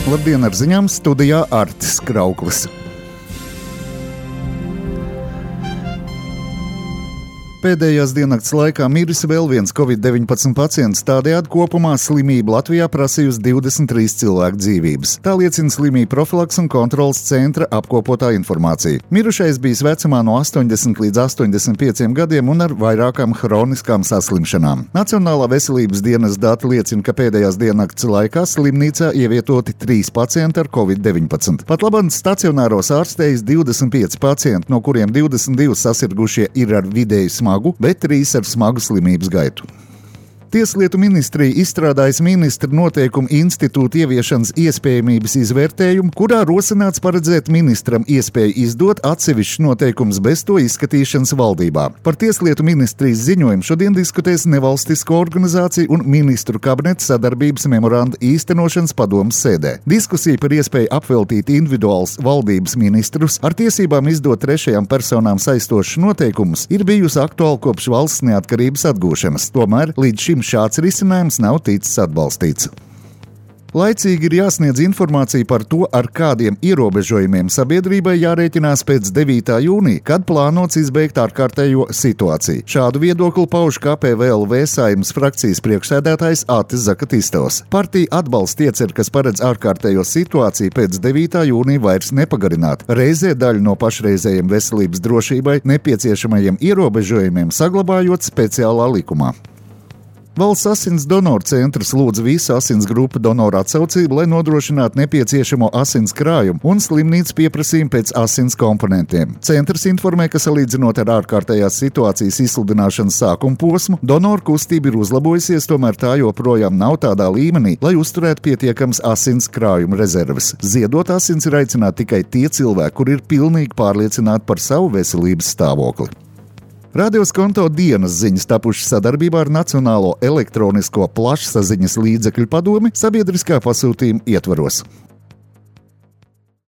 Labdien, ar ziņām studijā Artis Krauklis. Pēdējās diennakts laikā miris vēl viens Covid-19 pacients, tādējādi kopumā slimība Latvijā prasījusi 23 cilvēku dzīvības. Tā liecina slimību profilaks un kontrolas centra apkopotā informācija. Mirušais bijis vecumā no 80 līdz 85 gadiem un ar vairākām hroniskām saslimšanām. Nacionālā veselības dienas dati liecina, ka pēdējās diennakts laikā slimnīcā ievietoti 3 pacienti ar Covid-19. Patlaban stacionāros ārstējas 25 pacienti, no kuriem 22 sasirgušie ir ar vidēju smagu, bet 3 ar smagu slimības gaitu. Tieslietu ministrija izstrādājas ministra noteikumu institūta ieviešanas iespējamības izvērtējumu, kurā rosināts paredzēt ministram iespēju izdot atsevišķus noteikumus bez to izskatīšanas valdībā. Par Tieslietu ministrijas ziņojumu šodien diskutēs nevalstisko organizāciju un ministru kabineta sadarbības memoranda īstenošanas padomes sēdē. Diskusija par iespēju apveltīt individuāls valdības ministrus ar tiesībām izdot trešajām personām saistošus noteikumus ir bijusi aktuāla kopš valsts neatkarības atgūšanas. Tomēr līdz šim šāds risinājums nav ticis atbalstīts. Laicīgi ir jāsniedz informācija par to, ar kādiem ierobežojumiem sabiedrībai jārēķinās pēc 9. jūnija, kad plānots izbeigt ārkārtējo situāciju. Šādu viedokli pauž KPVLV Saeimas frakcijas priekšsēdētājs Atis Zakatistovs. Partija atbalsta ieceru, kas paredz ārkārtējo situāciju pēc 9. jūnija vairs nepagarināt. Reizē daļu no pašreizējiem veselības drošībai nepieciešamajiem ierobežojumiem saglabājot speciālā likumā. Valsts asins donoru centrs lūdz visu asins grupu donoru atsaucību, lai nodrošinātu nepieciešamo asins krājumu un slimnīcas pieprasījumu pēc asins komponentiem. Centrs informē, ka salīdzinot ar ārkārtējās situācijas izsludināšanas sākuma posmu, donoru kustība ir uzlabojusies, tomēr tā joprojām nav tādā līmenī, lai uzturētu pietiekams asins krājuma rezerves. Ziedot asins ir aicināti tikai tie cilvēki, kuri ir pilnīgi pārliecināti par savu veselības stāvokli. Radio Skonto dienas ziņas tapušas sadarbībā ar Nacionālo elektronisko plašsaziņas līdzekļu padomi sabiedriskā pasūtījuma ietvaros.